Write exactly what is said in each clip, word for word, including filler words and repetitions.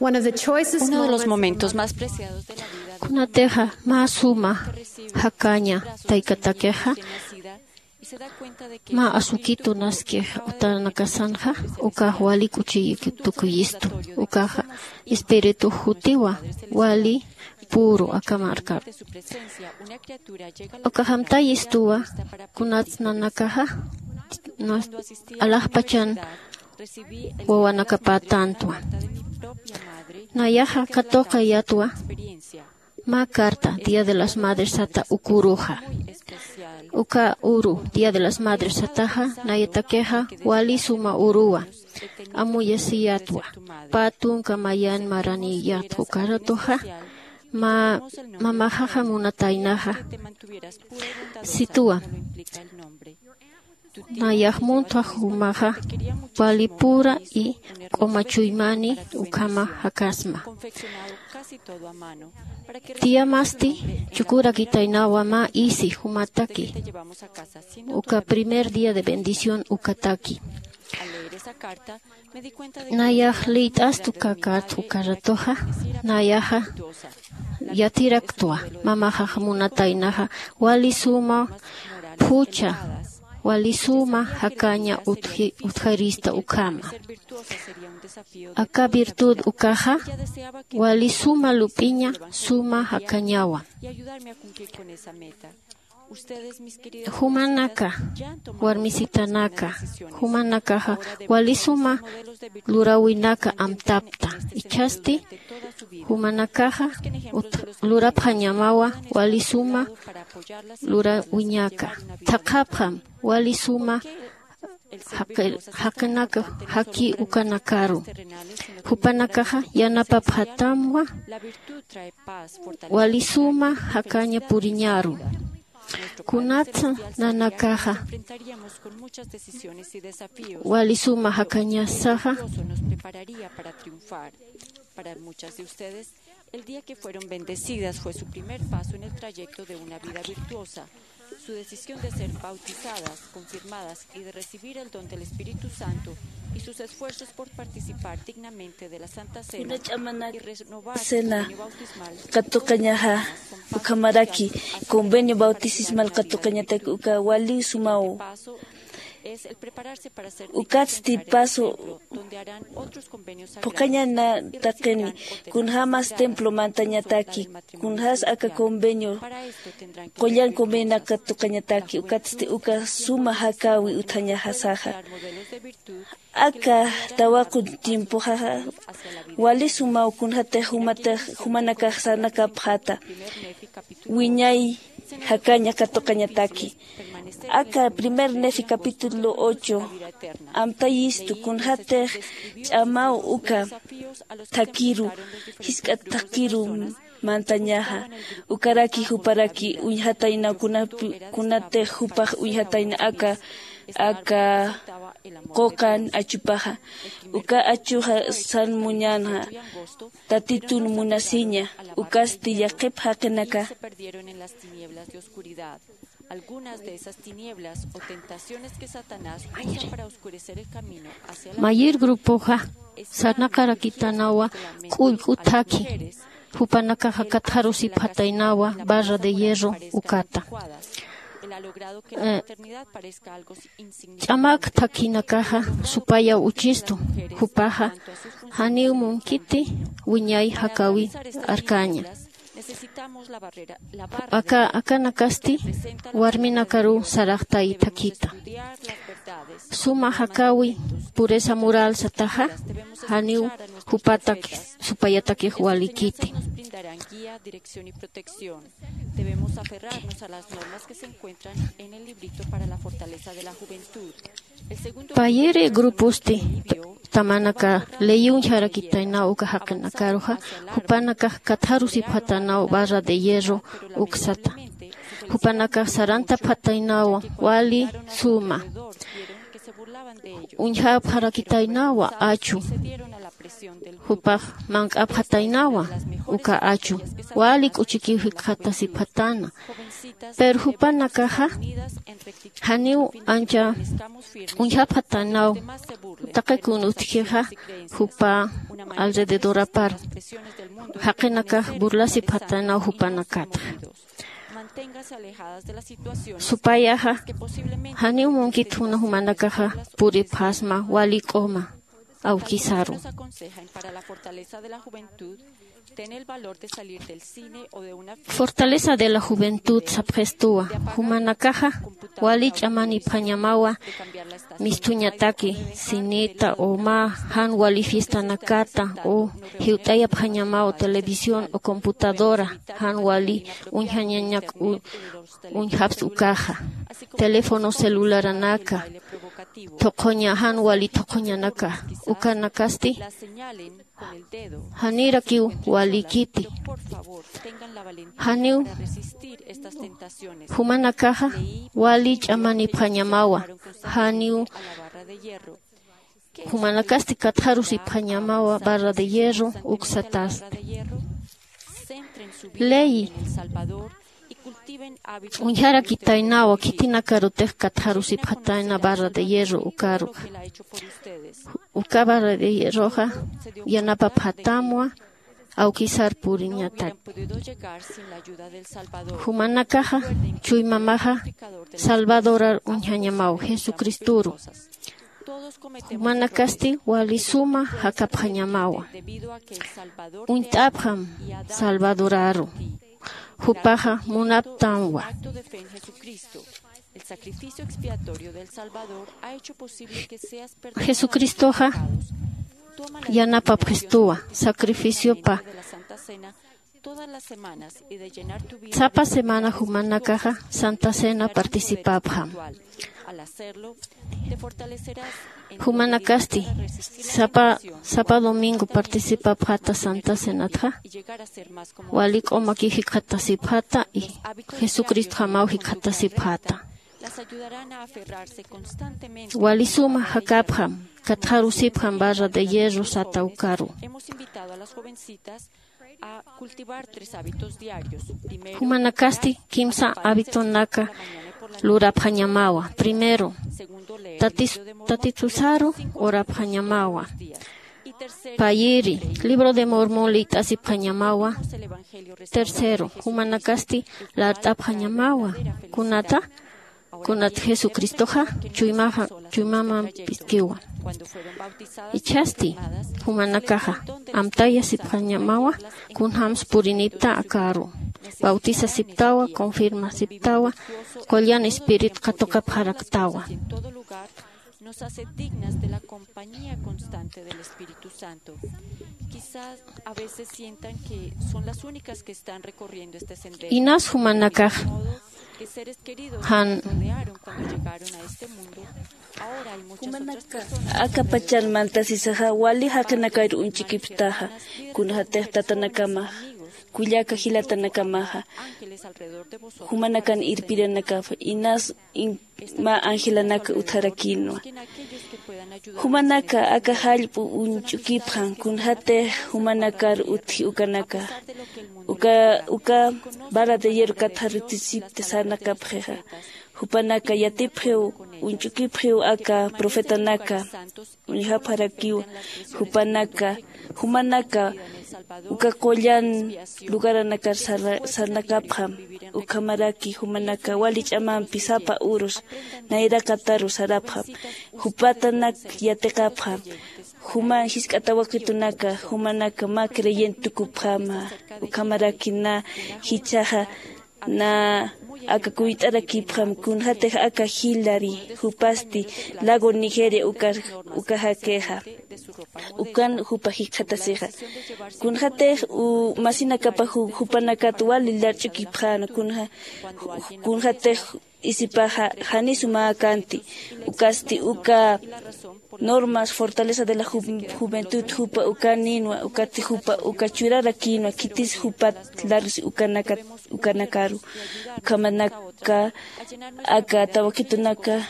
Uno de los momentos más preciados de la vida de kunatixa mä suma jakaña taykatakixa, mä asukitu naskix utanakasanxa, ukax wali k'uchiyik tukuyistu, ukaxa espiritu jutiwa, wali puru aka markaru. Ukax amtayistuwa, kunats nanakaxa alaxpachan wawanakapätäntwa. Nayaxa katuqayatwa mä carta Día de las Madres sata uk uruxa. Uka uru Día de las Madres sataxa nayatakixa wali suma uruwa. Amuyasiyatwa, pä tunka mayan maraniyatwa ukaratuxa, mä mamaxaxa munataynaxa situwa. Nayax muntwa jumaxa wali pura i q'uma chuymani ukhama jakasma. Tiyamasti chukurakitaynawa mä isi jumataki, uka primer día de bendición ukataki. Nayax liyt'astu kakat ukaratuxa, nayaxa yatiraktwa mamaxax munataynaxa wali suma phucha, wali suma jakaña utji- utjarista ukhama. Aka virtud ukaxa wali suma lup'iña, suma jakañawa. Jumanaka, warmisitanaka, jumanakaxa wali suma luräwinaka amtapta. Ichhasti jumanakaxa ut- lurapxañamawa wali suma luräwiñaka. Thaqhapxam wali suma jaqi- jaqinaka jaki ukanakaru. Jupanakaxa yanapapxatamwa wali suma jakaña puriñaru. Kunatsa nanakaxa wali suma jakañasaxa. Para muchas de ustedes, el día que fueron bendecidas fue su primer paso en el trayecto de una vida virtuosa. Su decisión de ser bautizadas, confirmadas y de recibir el don del Espíritu Santo y sus esfuerzos por participar dignamente de la Santa Cena y renovar su cena convenio bautismal, katuqañaxa ukhamaraki convenio bautismal katuqañataki uka wali sumaw. Ukatsti paso phuqhañana taqini, kunjämas templo mantañataki, kunjäs aka convenio qullan convenionak katuqañataki, ukatsti uka suma jakäwi utjañasaxa. Aka tawaqu tiempoxaxa wali sumaw kunjatix jumatix jumanakax sarnakapxäta wiñay jakaña katuqañataki. Aka primer Nefi capítulo ocho amtayistu kunjatix ch'amaw uka thakiru, jisk'a thakiru mantañaxa, ukaraki juparaki uñjatayna kunapi- kunatix jupax uñjatayna aka aka quqan achupaxa. Uka achuxa san muñänxa Tatitun munasiña, ukasti yaqhip jaqinaka. Algunas de esas tinieblas o tentaciones que Satanás usa para oscurecer el camino hacia la mayir grupoxa sarnaqarakitanawa k'ullk'u thakhi, jupanakaxa katxarusipxataynawa barra de hierro ukata. Ch'amak thakhinakaxa supayaw uchistu, jupaxa janiw munkiti wiñay jakäwi arkaña. Aka akanakasti warminakaruw saraxtay thakhita. Suma jakäwi pureza moral sataxa janiw jupatak supayatakix walikiti. Debemos aferrarnos a las normas que se encuentran en el librito para la fortaleza de la juventud. Payiri gruposti tamanaka ley uñjarakitaynaw uka jaqinakaruxa, jupanakax katxarusipxatanaw barra de hierro uksata. Jupanakax sarantapxataynaw wali suma. Uñjapxarakitaynawa achu. Jupax mank'apxataynawa uka achu. Wali k'uchikiw jikxatasipxatana. Pero jupanakaxa janiw ancha uñjapxataynaw taqi kun utjixa jupa alrededorapar jaqinakax burlasipxatanaw jupanakatxa. Supayaxa janiw munkit juna jumanakaxa puripxasma wali k'uma awkisaru. Fortaleza de la juventud sapxistuwa. Jumanakaxa wali ch'amanipxañamawa mistuñataki cineta o mä jan wali fiestanakata o jiwt'ayapxañamawa televisión o computadora jan wali uñjañañak uñjapxta ukaxa teléfono celularanaka thuqhuña jan wali thuqhuñanaka ukanakasti janirakiw walikiti. Janiw jumanakaxa wali ch'amanipxañamawa janiw jumanakasti katxarusipxañamawa barra de hierro uksatasti. Ley uñjarakitaynawa khitinakarutix katxarusipxatayna barra de hierro ukaruxa. Uka barra de hierroxa yanapapxatamwa awkisar puriñatak. Jumanakaxa chuymamaxa salvadorar uñjañamaw jesucristoru. Jumanakasti wali suma jakapxañamawa. Uñt'apxam salvadoraru. Jupaxa munaptanwa. Jesucristoxa yanapapxistuwa sacrificiopa sapa semana jumanakaxa santa cena participapxam. Jumanakasti sapa sapa domingo participapxata santa cenatxa wali k'umakiw jikxatasipxata y jesucristjamaw jikxatasipxata. Wali suma jakapxam katxarusipxam barra de hierro sata ukaru. Jumanakasti kimsa habitonaka lurapxañamawa. Primero, tatitusaru urapxañamawa. Payiri libro de mormón liyt'asipxañamawa. Tercero, jumanakasti lart'apxañamawa. Kunata kunat jesucristoxa chuymaxa chuymamampiskiwa. Ichhasti jumanakaxa amtayasipxañamawa kunjämsa purinipta akaru. Bautisasiptawa confirmasiptawa qullan espirit katuqapxaraktawa. Nos hace dignas de la compañía constante del Espíritu Santo. Quizás a veces sientan que son las únicas que están recorriendo este sendero. Inas jumanakax jan jumanaka aka pachan mantasisaxa wali jaqinakar uñch'ukipxtaxa kunxatix tatanakamaxa kullaka jilatanakamaxa jumanakan irpiranakaxa inas mä angelanaka utjarakïnwa. Jumanaka aka jallp'u uñch'ukipxam kunxatix jumanakar utji ukanaka uka uka vara de hierro katxarutisipti sarnakapxixa. Jupanaka yatipxiw uñch'ukipxiw aka profetanaka uñjapxarakiwa. Jupanaka jumanaka uka qullan lugaranakar sarnakapxam. Ukhamaraki jumanaka wali ch'amampi sapa urus nayraqataru sarapxam. Jupatanak yatiqapxam. Juman jisk'a tawakitunaka jumanaka mä creyente tukupxama. Ukhamaraki na jichhaxa na aka kuyt'arakipxam kunxatix aka jilari jupasti lago nigeria uka uka jakixa. Ukan jupa jikxatasixa kunxatix masinakapa jupanakat wali larch'ukipxäna kunxa kunxatix isipaxa janisu mä kanti. Ukasti uka normas fortaleza de la juventud jupa ukanïnwa ukati jupa uka churarakïnwa khitis jupat larusi ukanaka ukanakaru. Ukhamanaka aka tawakitunaka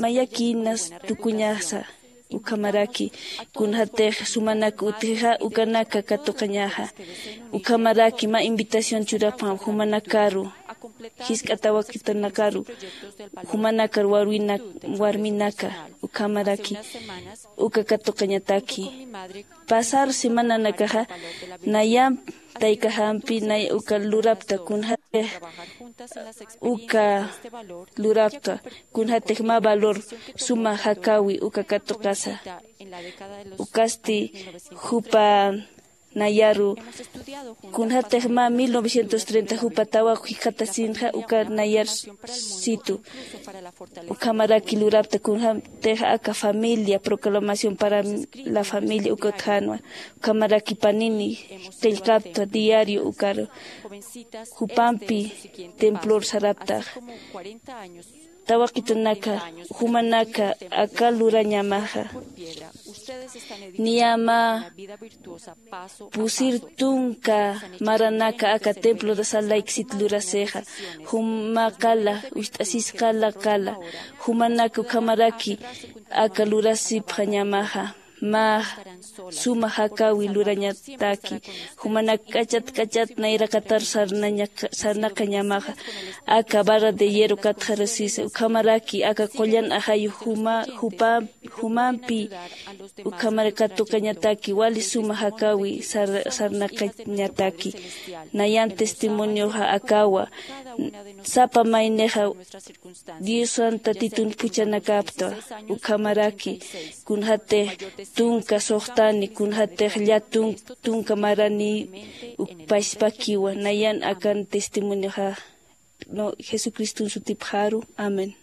mayakïnas tukuñasa. Ukhamaraki kunxatix sumanak utjixa ukanaka katuqañaxa. Ukhamaraki mä invitación churapxam jumanakaru jisk'a tawakitunakaru jumanakar warminaka Ukhamaraki uka katuqañataki pasar semananakaxa nayamp taykajampi nay uka lurapta kunjatix uka lurapta kunjatix mä valor suma jakawi uka katuqasa. Ukasti jupa nayaru kunjatix mä mil novecientos treinta jupa tawaq jikxatasinxa uka nayar situ ukhamaraki lurapta kunjatix aka familia proclamación para la familia uka utjänwa. Ukhamaraki panini qillqapta diario ukaru jupampi templor saraptax tawaqitunaka jumanaka aka lurañamaxa niyama pusir tunka maranaka aka templo de salayk sit lurasixa juma qala ucht'asis qala qala jumanaka ukhamaraki aka lurasipxañamaxa mä suma jakawi lurañataki jumanak k'achat k'achat nayraqatar sarnaqañamaxa aka barra de hierro katxarasisa ukhamaraki aka qullan ajayu juma jupampi ukhamar katuqañataki wali suma jakawi sarnaqañataki nayan testimonioxa akawa sapa maynixa diosan tatitun phuchhanakapta ukhamaraki kunjatix tunka suxtani kunjatix lla tunka marani ukpaspakiwa nayan akan testimonioxa jesucriston sutipxaru. Amén.